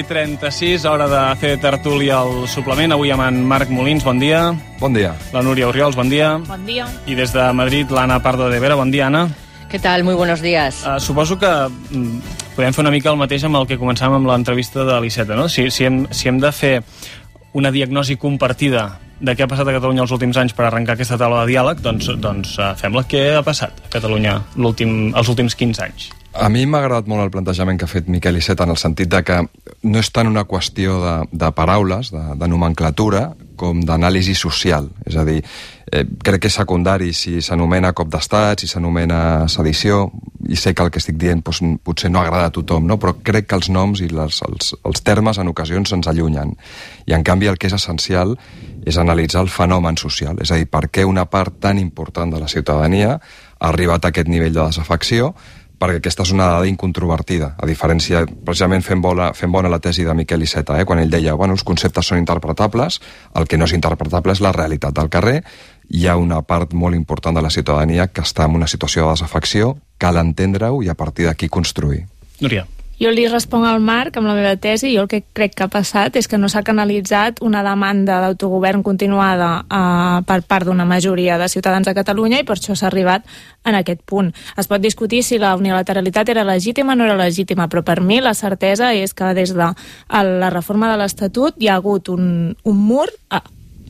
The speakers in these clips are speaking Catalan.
9:36, hora de fer tertúlia al suplement. Avui amb en Marc Molins, bon dia. Bon dia. La Núria Orriols, bon dia. Bon dia. I des de Madrid, l'Anna Pardo de Vera, bon dia, Anna. ¿Qué tal? Muy buenos días. Suposo que podem fer una mica el mateix amb el que començàvem amb l'entrevista de l'Iceta, no? Si hem de fer una diagnosi compartida de què ha passat a Catalunya els últims anys per arrencar aquesta taula de diàleg, doncs fem-la. Què ha passat a Catalunya els últims 15 anys? A mi m'ha agradat molt el plantejament que ha fet Miquel Iceta, en el sentit de que no és tant una qüestió de paraules, de nomenclatura, com d'anàlisi social. És a dir, crec que és secundari si s'anomena cop d'estat, si s'anomena sedició, i sé que el que estic dient potser no agrada a tothom, no? Però crec que els noms i els termes en ocasions ens allunyen. I en canvi el que és essencial és analitzar el fenomen social, és a dir, per què una part tan important de la ciutadania ha arribat a aquest nivell de desafecció, perquè aquesta és una dada incontrovertida, a diferència, precisament fent bona la tesi de Miquel Iceta, quan ell deia, els conceptes són interpretables, el que no és interpretable és la realitat del carrer. Hi ha una part molt important de la ciutadania que està en una situació de desafecció, cal entendre-ho i a partir d'aquí construir. Núria. Jo li responc al Marc amb la meva tesi. Jo el que crec que ha passat és que no s'ha canalitzat una demanda d'autogovern continuada per part d'una majoria de ciutadans de Catalunya i per això s'ha arribat en aquest punt. Es pot discutir si la unilateralitat era legítima o no era legítima, però per mi la certesa és que des de la reforma de l'Estatut hi ha hagut un mur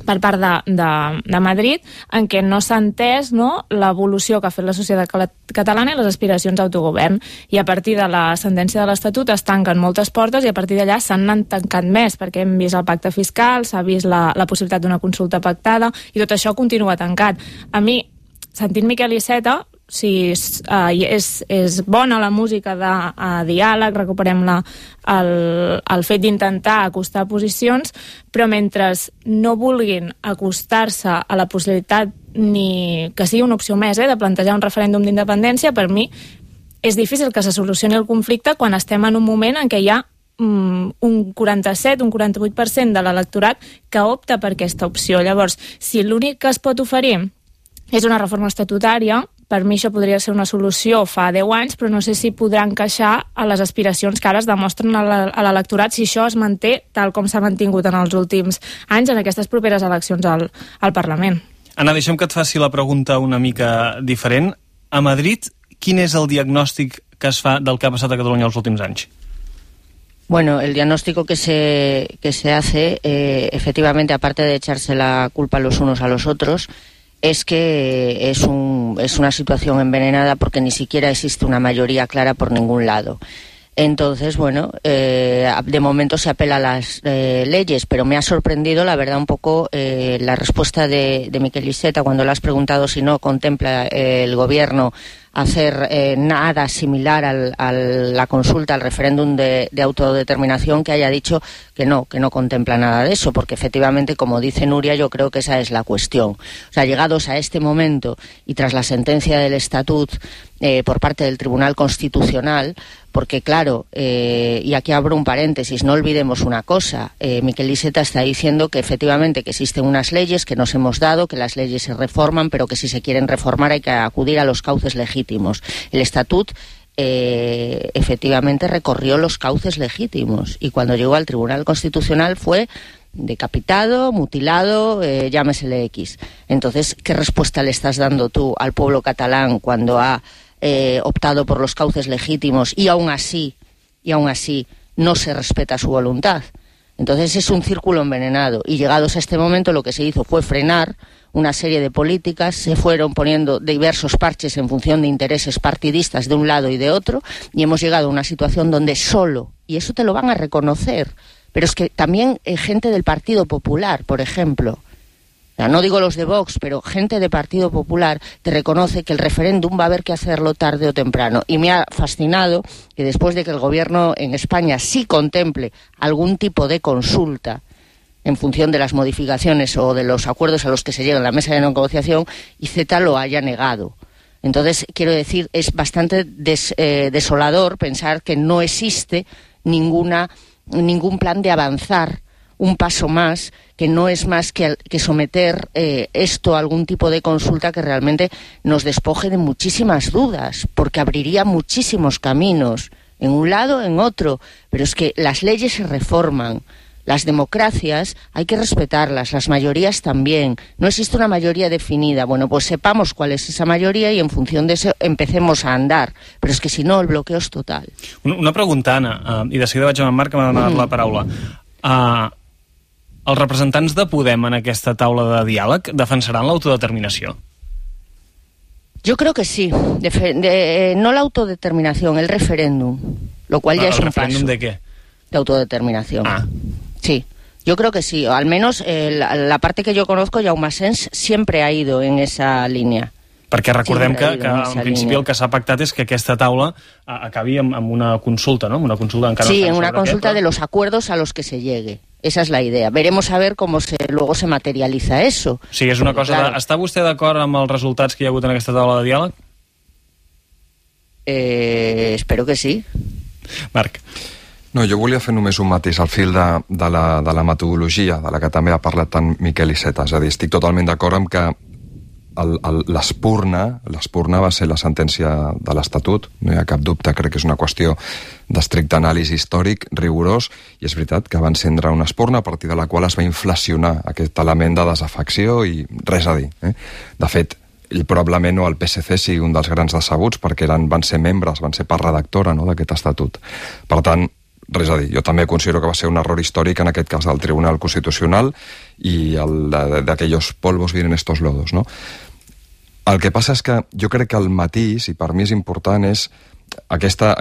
per part de Madrid, en què no s'ha entès l'evolució que ha fet la societat catalana i les aspiracions d'autogovern. I a partir de la sentència de l'Estatut es tanquen moltes portes i a partir d'allà s'han tancat més, perquè hem vist el pacte fiscal, s'ha vist la possibilitat d'una consulta pactada i tot això continua tancat. A mi, sentint Miquel Iceta, si és bona la música de diàleg, recuperem el fet d'intentar acostar posicions, però mentre no vulguin acostar-se a la possibilitat ni que sigui una opció més de plantejar un referèndum d'independència, per mi és difícil que se solucioni el conflicte quan estem en un moment en què hi ha un 47, un 48% de l'electorat que opta per aquesta opció. Llavors, si l'únic que es pot oferir és una reforma estatutària, per mi això podria ser una solució fa 10 anys, però no sé si podrà encaixar a les aspiracions que ara es demostren a l'electorat si això es manté tal com s'ha mantingut en els últims anys en aquestes properes eleccions al Parlament. Anna, deixem que et faci la pregunta una mica diferent. A Madrid, quin és el diagnòstic que es fa del que ha passat a Catalunya els últims anys? Bueno, el diagnóstico que se hace, efectivamente, aparte de echarse la culpa los unos a los otros, es que es una situación envenenada porque ni siquiera existe una mayoría clara por ningún lado. Entonces, de momento se apela a las leyes, pero me ha sorprendido, la verdad, un poco la respuesta de Miquel Iceta cuando le has preguntado si no contempla el gobierno hacer nada similar a la consulta, al referéndum de autodeterminación, que haya dicho que no contempla nada de eso, porque efectivamente, como dice Nuria, yo creo que esa es la cuestión. O sea, llegados a este momento y tras la sentencia del Estatut por parte del Tribunal Constitucional, porque claro, y aquí abro un paréntesis, no olvidemos una cosa, Miquel Iceta está diciendo que efectivamente que existen unas leyes que nos hemos dado, que las leyes se reforman, pero que si se quieren reformar hay que acudir a los cauces legítimos. El Estatut efectivamente recorrió los cauces legítimos y cuando llegó al Tribunal Constitucional fue decapitado, mutilado, llámesele X. Entonces, ¿qué respuesta le estás dando tú al pueblo catalán cuando ha optado por los cauces legítimos y aún así no se respeta su voluntad? Entonces es un círculo envenenado y llegados a este momento lo que se hizo fue frenar una serie de políticas, se fueron poniendo diversos parches en función de intereses partidistas de un lado y de otro y hemos llegado a una situación donde solo, y eso te lo van a reconocer, pero es que también gente del Partido Popular, por ejemplo, no digo los de Vox, pero gente de Partido Popular te reconoce que el referéndum va a haber que hacerlo tarde o temprano. Y me ha fascinado que después de que el gobierno en España sí contemple algún tipo de consulta en función de las modificaciones o de los acuerdos a los que se llega en la mesa de negociación, Iceta lo haya negado. Entonces, quiero decir, es bastante desolador pensar que no existe ningún plan de avanzar un paso más, que no es más que someter esto a algún tipo de consulta que realmente nos despoje de muchísimas dudas, porque abriría muchísimos caminos en un lado, en otro, pero es que las leyes se reforman. Las democracias hay que respetarlas, las mayorías también. No existe una mayoría definida. Bueno, pues sepamos cuál es esa mayoría y en función de eso empecemos a andar. Però és que si no, el bloqueo és total. Una pregunta, Anna, i de seguida vaig amb en Marc, que m'ha donat la paraula. Els representants de Podem en aquesta taula de diàleg defensaran l'autodeterminació? Yo creo que sí. No la autodeterminación, el referéndum. Lo cual ya es un paso. ¿El referéndum de qué? De autodeterminación. Sí, yo creo que sí. Al menos la parte que yo conozco, Jaume Sens siempre ha ido en esa línea. Perquè recordem que en principi el que s'ha pactat és que aquesta taula acabi amb una consulta, ¿no? Una consulta encara sí, en una consulta de los acuerdos a los que se llegue. Esa es la idea. Veremos a ver cómo luego se materializa eso. Sí, és una cosa... Claro. Està vostè d'acord amb els resultats que hi ha hagut en aquesta taula de diàleg? Espero que sí. Marc. No, jo volia fer només un matís al fil de la metodologia, de la que també ha parlat tant Miquel Iceta. És a dir, estic totalment d'acord amb que l'espurna va ser la sentència de l'Estatut, no hi ha cap dubte, crec que és una qüestió d'estricte anàlisi històric, rigorós, i és veritat que va encendre una espurna a partir de la qual es va inflacionar aquest element de desafecció i res a dir. De fet, ell probablement el PSC sigui un dels grans decebuts perquè van ser membres, van ser part redactora d'aquest estatut. Per tant, res a dir. Jo també considero que va ser un error històric en aquest cas del Tribunal Constitucional i d'aquells polvos vienen estos lodos, no? El que passa és que jo crec que el matís, i per mi és important, és aquesta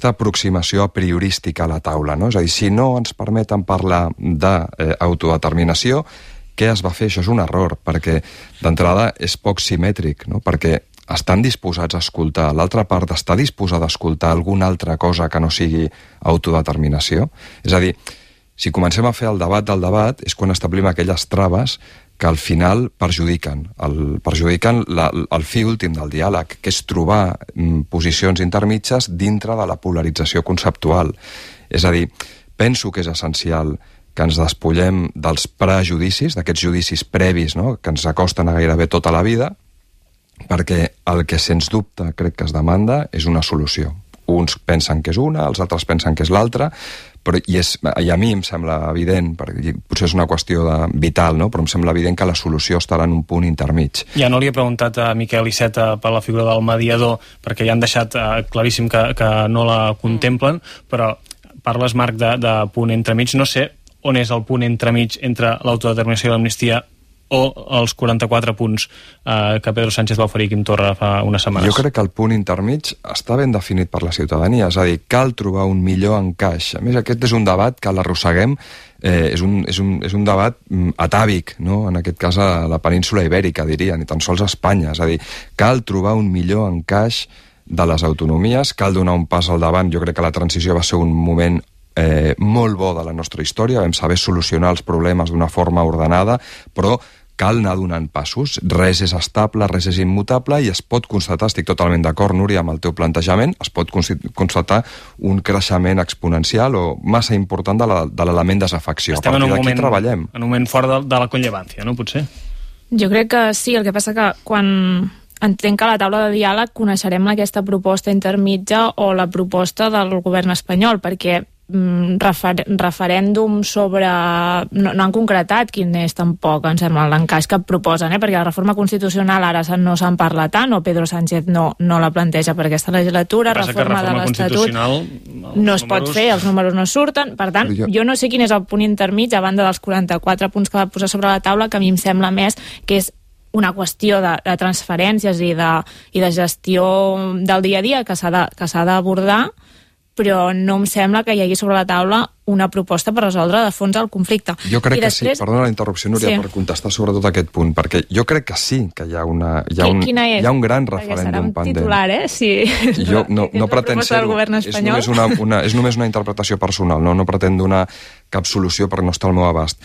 aproximació a priorística a la taula, no? És a dir, si no ens permeten parlar d'autodeterminació, què es va fer? Això és un error, perquè d'entrada és poc simètric, no? Perquè estan disposats a escoltar, l'altra part està disposada a escoltar alguna altra cosa que no sigui autodeterminació. És a dir, si comencem a fer el debat del debat és quan establim aquelles traves que al final perjudiquen el fi últim del diàleg, que és trobar posicions intermitges dintre de la polarització conceptual. És a dir, penso que és essencial que ens despullem dels prejudicis, d'aquests judicis previs, no?, que ens acosten a gairebé tota la vida, perquè el que sens dubte crec que es demanda és una solució. Uns pensen que és una, els altres pensen que és l'altra, i a mi em sembla evident, perquè potser és una qüestió vital, no?, però em sembla evident que la solució estarà en un punt intermig. Ja no li he preguntat a Miquel Iceta per la figura del mediador, perquè ja han deixat claríssim que no la contemplen, però parles, Marc, de punt entremig. No sé on és el punt entremig entre l'autodeterminació i l'amnistia o els 44 punts que Pedro Sánchez va oferir Quim Torra fa unes setmanes? Jo crec que el punt intermig està ben definit per la ciutadania, és a dir, cal trobar un millor encaix. A més, aquest és un debat que l'arrosseguem, és un debat atàvic, no?, en aquest cas a la península ibèrica, diria, ni tan sols a Espanya. És a dir, cal trobar un millor encaix de les autonomies, cal donar un pas al davant. Jo crec que la transició va ser un moment molt bo de la nostra història, vam saber solucionar els problemes d'una forma ordenada, però cal anar donant passos. Res és estable, res és immutable, i es pot constatar, estic totalment d'acord, Núria, amb el teu plantejament, es pot constatar un creixement exponencial o massa important de l'element desafecció. Estem en un moment fort de la conllevància, no, potser? Jo crec que sí, el que passa que quan entenc que a la taula de diàleg coneixerem aquesta proposta intermitja o la proposta del govern espanyol, perquè referèndum sobre... No han concretat quin és tampoc, em sembla, l'encaix que proposen, perquè la reforma constitucional ara no se'n parla tant, o Pedro Sánchez no la planteja per aquesta legislatura, reforma de l'Estatut no es pot fer, els números no surten, per tant, jo no sé quin és el punt intermig, a banda dels 44 punts que va posar sobre la taula, que a mi em sembla més que és una qüestió de transferències i de gestió del dia a dia que s'ha d'abordar, però no em sembla que hi hagi sobre la taula una proposta per resoldre de fons el conflicte. Jo crec que sí, perdona la interrupció, Núria, per contestar sobre tot aquest punt, perquè jo crec que sí que hi ha un gran referèndum pendent. Perquè serà un titular, Si jo no pretén ser-ho, és només una interpretació personal, no pretén donar cap solució perquè no està al meu abast,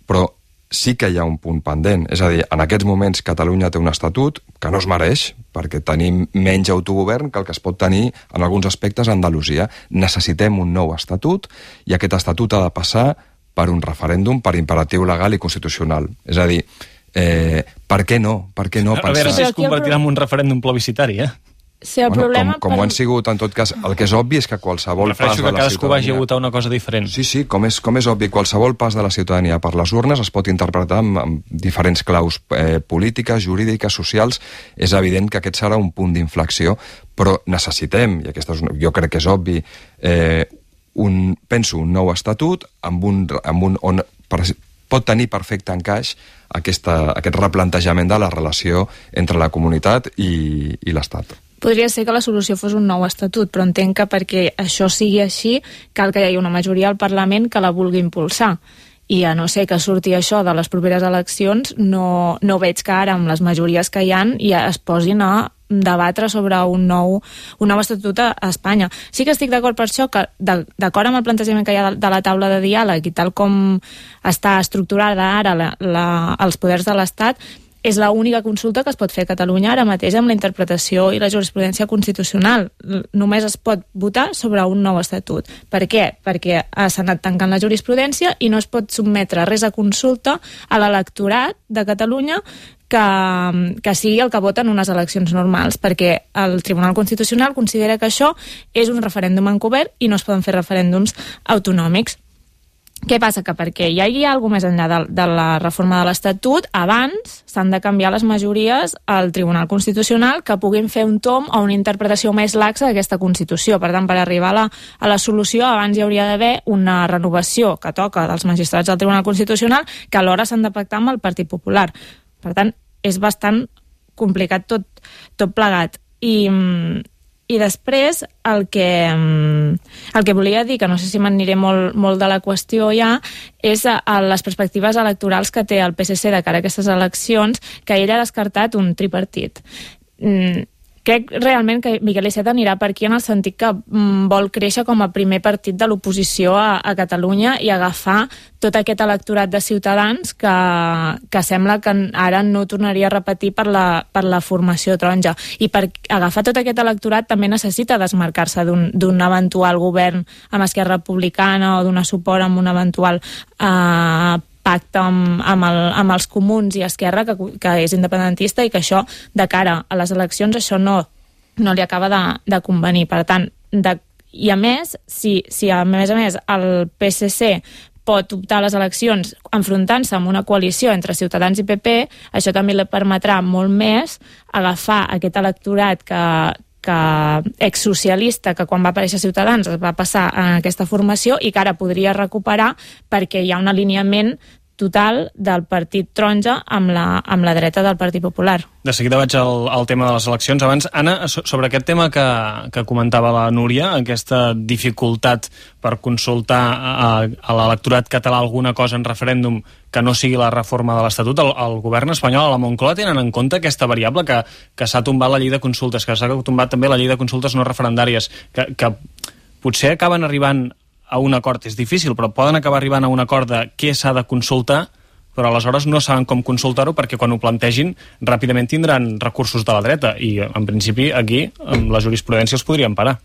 però sí que hi ha un punt pendent. És a dir, en aquests moments Catalunya té un estatut que no es mereix, perquè tenim menys autogovern que el que es pot tenir en alguns aspectes a Andalusia. Necessitem un nou estatut i aquest estatut ha de passar per un referèndum per imperatiu legal i constitucional. És a dir, per què no? A veure si es convertirà en un referèndum plebiscitari, Sí, el problema... Com ho han sigut, en tot cas, el que és obvi és que qualsevol pas de la ciutadania... que cadascú vagi a votar una cosa diferent. Sí, com és obvi, qualsevol pas de la ciutadania per les urnes es pot interpretar amb diferents claus polítiques, jurídiques, socials. És evident que aquest serà un punt d'inflexió, però necessitem, i jo crec que és obvi, penso un nou estatut on pot tenir perfecte encaix aquest replantejament de la relació entre la comunitat i l'Estat. Podria ser que la solució fos un nou estatut, però entenc que perquè això sigui així cal que hi hagi una majoria al Parlament que la vulgui impulsar. I a no ser que surti això de les properes eleccions, no veig que ara, amb les majories que hi ha, ja es posin a debatre sobre un nou estatut a Espanya. Sí que estic d'acord per això, que d'acord amb el plantejament que hi ha de la taula de diàleg i tal com està estructurada ara els poders de l'Estat, és l'única consulta que es pot fer a Catalunya ara mateix amb la interpretació i la jurisprudència constitucional. Només es pot votar sobre un nou estatut. Per què? Perquè s'ha anat tancant la jurisprudència i no es pot sotmetre res a consulta a l'electorat de Catalunya que sigui el que vota en unes eleccions normals, perquè el Tribunal Constitucional considera que això és un referèndum encobert i no es poden fer referèndums autonòmics. Què passa? Que perquè hi hagi alguna més enllà de la reforma de l'Estatut, abans s'han de canviar les majories al Tribunal Constitucional que puguin fer un tomb o una interpretació més laxa d'aquesta Constitució. Per tant, per arribar a la solució, abans hi hauria d'haver una renovació que toca dels magistrats del Tribunal Constitucional que alhora s'han de pactar amb el Partit Popular. Per tant, és bastant complicat tot plegat. I després el que volia dir, que no sé si m'aniré molt de la qüestió ja, és les perspectives electorals que té el PSC de cara a aquestes eleccions, que ell ha descartat un tripartit. Crec realment que Miquel Iceta anirà per aquí en el sentit que vol créixer com a primer partit de l'oposició a Catalunya i agafar tot aquest electorat de Ciutadans que sembla que ara no tornaria a repetir per la formació taronja. I per agafar tot aquest electorat també necessita desmarcar-se d'un eventual govern amb Esquerra Republicana o d'un suport amb un eventual pacte amb els comuns i Esquerra, que és independentista, i que això, de cara a les eleccions, això no li acaba de convenir. Per tant, i a més, si a més el PSC pot optar a les eleccions enfrontant-se amb una coalició entre Ciutadans i PP, això també li permetrà molt més agafar aquest electorat exsocialista que quan va aparèixer Ciutadans es va passar a aquesta formació i que ara podria recuperar perquè hi ha un alineament total del partit taronja amb la dreta del Partit Popular. De seguida vaig al tema de les eleccions. Abans, Anna, sobre aquest tema que comentava la Núria, aquesta dificultat per consultar a l'electorat català alguna cosa en referèndum que no sigui la reforma de l'Estatut, el govern espanyol, a la Moncloa, tenen en compte aquesta variable que s'ha tombat la llei de consultes, que s'ha tombat també la llei de consultes no referendàries, que potser acaben arribant a un acord. És difícil, però poden acabar arribant a un acord de què s'ha de consultar, però aleshores no saben com consultar-ho perquè quan ho plantegin ràpidament tindran recursos de la dreta i en principi aquí amb la jurisprudència els podrien parar.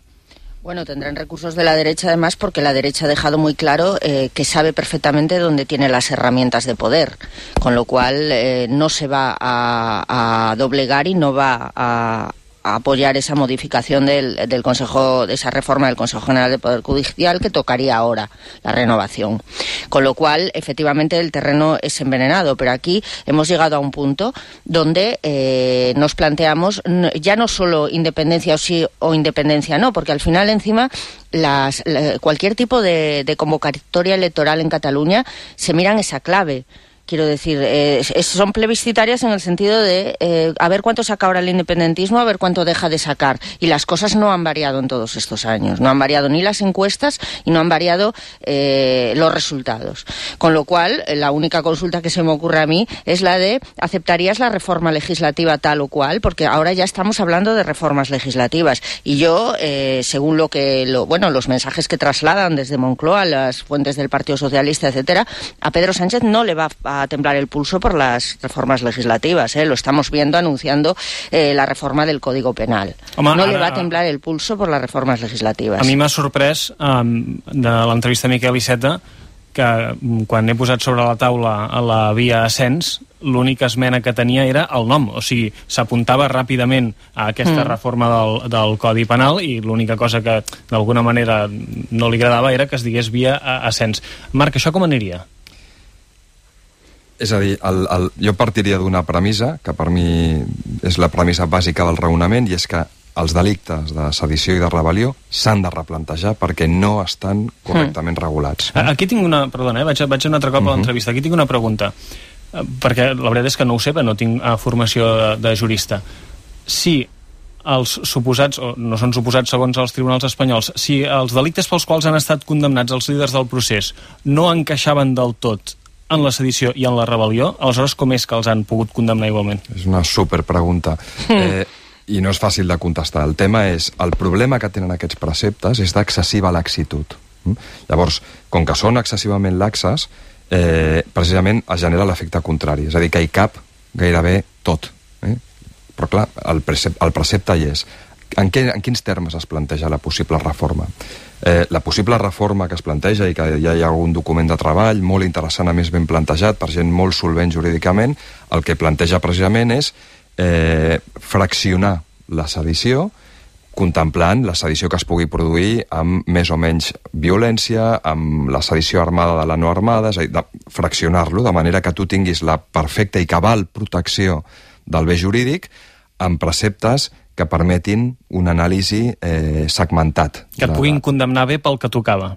Bueno, tendrán recursos de la derecha además porque la derecha ha dejado muy claro que sabe perfectamente dónde tiene las herramientas de poder, con lo cual no se va a doblegar y no va a apoyar esa modificación del Consejo, de esa reforma del Consejo General de Poder Judicial que tocaría ahora la renovación. Con lo cual, efectivamente, el terreno es envenenado, pero aquí hemos llegado a un punto donde nos planteamos ya no solo independencia o sí o independencia no, porque al final encima cualquier tipo de convocatoria electoral en Cataluña se mira en esa clave. Quiero decir, son plebiscitarias en el sentido de a ver cuánto saca ahora el independentismo, a ver cuánto deja de sacar. Y las cosas no han variado en todos estos años. No han variado ni las encuestas y no han variado los resultados. Con lo cual, la única consulta que se me ocurre a mí es la de ¿aceptarías la reforma legislativa tal o cual? Porque ahora ya estamos hablando de reformas legislativas. Y yo, según los mensajes que trasladan desde Moncloa, las fuentes del Partido Socialista, etcétera, a Pedro Sánchez no le va a temblar el pulso por las reformas legislativas, lo estamos viendo anunciando la reforma del Código Penal. Home, no le va a temblar el pulso por las reformas legislativas. A mi m'ha sorprès de l'entrevista a Miquel Iceta que quan he posat sobre la taula a la via ascens, l'única esmena que tenia era el nom, o sigui, s'apuntava ràpidament a aquesta reforma del Codi Penal i l'única cosa que d'alguna manera no li agradava era que es digués via ascens. Marc, això com aniria? És a dir, jo partiria d'una premissa, que per mi és la premissa bàsica del raonament, i és que els delictes de sedició i de rebel·lió s'han de replantejar perquè no estan correctament regulats. Aquí tinc una... Perdona, vaig un altre cop a l'entrevista. Aquí tinc una pregunta, perquè la veritat és que no ho sé, però no tinc formació de jurista. Si els suposats, o no són suposats segons els tribunals espanyols, si els delictes pels quals han estat condemnats els líders del procés no encaixaven del tot en la sedició i en la rebel·lió, aleshores com és que els han pogut condemnar igualment? És una superpregunta. I no és fàcil de contestar. El tema és, el problema que tenen aquests preceptes és d'excessiva laxitud. Llavors, com que són excessivament laxes, precisament es genera l'efecte contrari, és a dir, que hi cap gairebé tot. Però clar, el precepte hi és. En quins termes es planteja la possible reforma? La possible reforma que es planteja, i que ja hi ha algun document de treball molt interessant, a més ben plantejat, per gent molt solvent jurídicament, el que planteja precisament és fraccionar la sedició, contemplant la sedició que es pugui produir amb més o menys violència, amb la sedició armada de la no armada, és a dir, fraccionar-lo de manera que tu tinguis la perfecta i cabal protecció del bé jurídic amb preceptes que permetin un anàlisi segmentat. Que et puguin condemnar bé pel que tocava.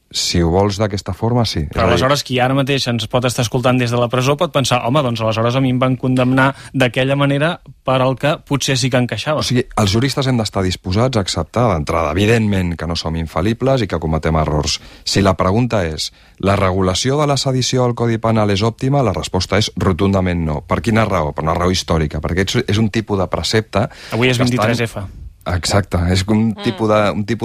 Si ho vols d'aquesta forma, sí. Però aleshores qui ara mateix ens pot estar escoltant des de la presó pot pensar, home, doncs aleshores a mi em van condemnar d'aquella manera per al que potser sí que encaixava. O sigui, els juristes hem d'estar disposats a acceptar d'entrada, evidentment que no som infal·libles i que cometem errors. Si la pregunta és, la regulació de la sedició al Codi Penal és òptima? La resposta és rotundament no. Per quina raó? Per una raó històrica, perquè és un tipus de precepte... Avui és 23F. Exacte, és un tipus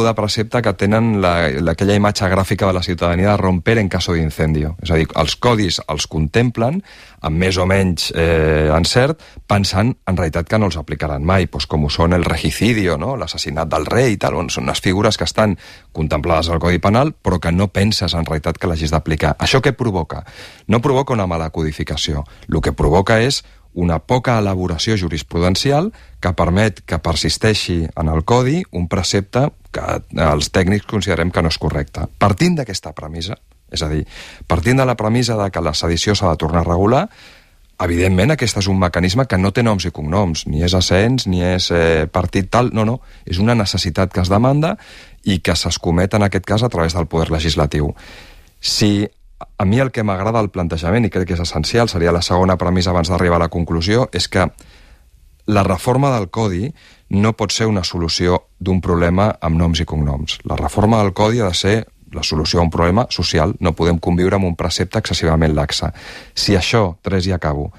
de precepte que tenen aquella imatge gràfica de la ciutadania de romper en caso d'incendio. És a dir, els codis els contemplen amb més o menys encert, pensant en realitat que no els aplicaran mai, com ho són el regicidio, no? L'assassinat del rei i tal, són unes figures que estan contemplades al Codi Penal però que no penses en realitat que l'hagis d'aplicar. Això què provoca? No provoca una mala codificació, el que provoca és una poca elaboració jurisprudencial que permet que persisteixi en el codi un precepte que els tècnics considerem que no és correcte. Partint d'aquesta premissa, és a dir, partint de la premissa de que la sedició s'ha de tornar a regular, evidentment aquest és un mecanisme que no té noms i cognoms, ni és ascens, ni és partit tal, no, és una necessitat que es demanda i que s'escomet en aquest cas a través del poder legislatiu. Si a mi el que m'agrada del plantejament, i crec que és essencial, seria la segona premissa abans d'arribar a la conclusió, és que la reforma del Codi no pot ser una solució d'un problema amb noms i cognoms. La reforma del Codi ha de ser la solució a un problema social. No podem conviure amb un precepte excessivament laxe. Si això, Teresa, i acabo,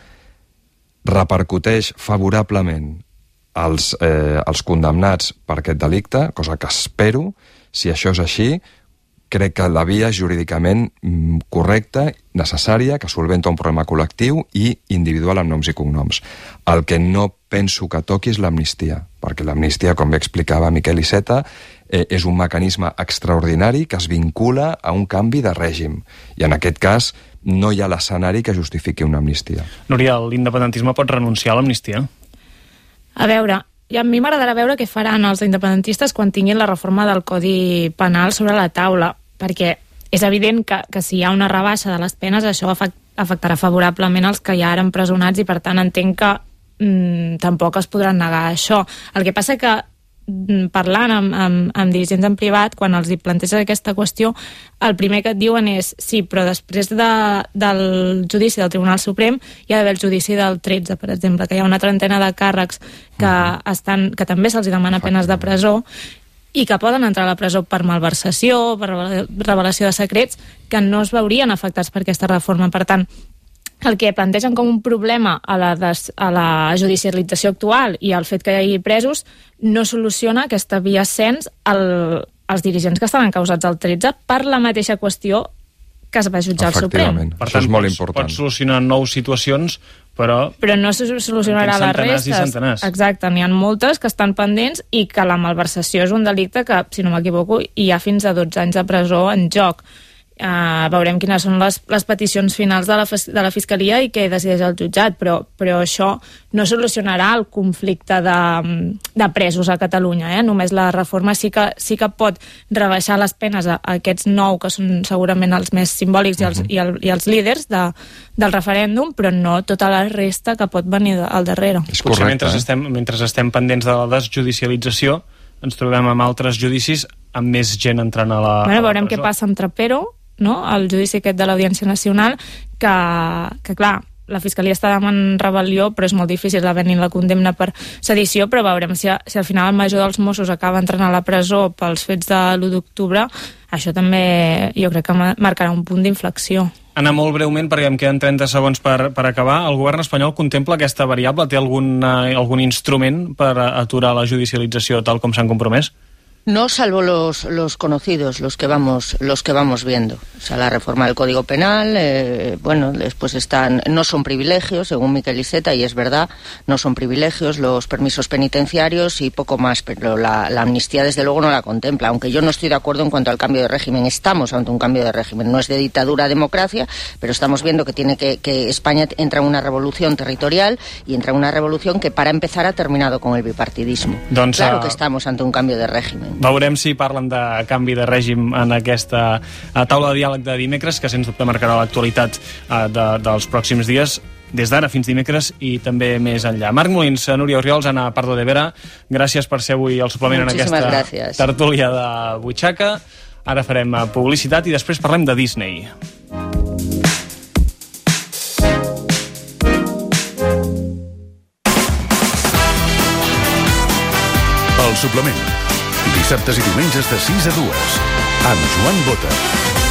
repercuteix favorablement als condemnats per aquest delicte, cosa que espero, si això és així, crec que la via és jurídicament correcta, necessària, que solventa un problema col·lectiu i individual amb noms i cognoms. El que no penso que toqui és l'amnistia, perquè l'amnistia, com bé explicava Miquel Iceta, és un mecanisme extraordinari que es vincula a un canvi de règim. I en aquest cas no hi ha l'escenari que justifiqui una amnistia. Núria, l'independentisme pot renunciar a l'amnistia? A veure, i a mi m'agradarà veure què faran els independentistes quan tinguin la reforma del Codi Penal sobre la taula, perquè és evident que si hi ha una rebaixa de les penes això afectarà favorablement els que ja eren empresonats i per tant entenc que tampoc es podran negar a això. El que passa que parlant amb dirigents en privat, quan els hi planteges aquesta qüestió, el primer que et diuen és sí, però després del judici del Tribunal Suprem hi ha d'haver el judici del 13, per exemple, que hi ha una trentena de càrrecs que també se'ls demana penes de presó i que poden entrar a la presó per malversació, per revelació de secrets, que no es veurien afectats per aquesta reforma. Per tant, el que plantegen com un problema a la judicialització actual i el fet que hi hagi presos no soluciona aquesta via ascens als dirigents que estan encausats al 13 per la mateixa qüestió que es va jutjar al Suprem. Per tant, és molt important. Pots solucionar 9 situacions, però no se solucionarà les restes. Exacte, n'hi ha moltes que estan pendents i que la malversació és un delicte que, si no m'equivoco, hi ha fins a 12 anys de presó en joc. veurem quines són les peticions finals de la Fiscalia i què decideix el jutjat, però això no solucionarà el conflicte de presos a Catalunya. Només la reforma sí que pot rebaixar les penes a aquests 9, que són segurament els més simbòlics i els líders del referèndum, però no tota la resta que pot venir al darrere. És correcte, mentre estem pendents de la desjudicialització, ens trobem amb altres judicis amb més gent entrant a la veurem presó. Què passa amb Trapero, no? El judici aquest de l'Audiència Nacional, que clar, la Fiscalia està demanant rebel·lió, però és molt difícil haver-hi la condemna per sedició, però veurem si al final el major dels Mossos acaba entrant a la presó pels fets de l'1 d'octubre. Això també jo crec que marcarà un punt d'inflexió. Anna, molt breument, perquè em queden 30 segons per acabar. El govern espanyol contempla aquesta variable? Té algun instrument per aturar la judicialització tal com s'han compromès? No, salvo los conocidos, los que vamos viendo. O sea, la reforma del Código Penal, después no son privilegios, según Miquel Iceta, y es verdad, no son privilegios los permisos penitenciarios y poco más, pero la amnistía desde luego no la contempla, aunque yo no estoy de acuerdo en cuanto al cambio de régimen. Estamos ante un cambio de régimen, no es de dictadura a democracia, pero estamos viendo que España entra en una revolución territorial y entra en una revolución que para empezar ha terminado con el bipartidismo. Claro que estamos ante un cambio de régimen. Veurem si parlen de canvi de règim en aquesta taula de diàleg de dimecres, que sens dubte marcarà l'actualitat dels pròxims dies, des d'ara fins dimecres i també més enllà. Marc Molins, Núria Orriols, Anna Pardo de Vera, gràcies per ser avui el suplement en aquesta tertúlia de Butxaca. Ara farem publicitat i després parlem de Disney. El suplement. Dissabtes i diumenges de 6 a 2. Amb Joan Bota.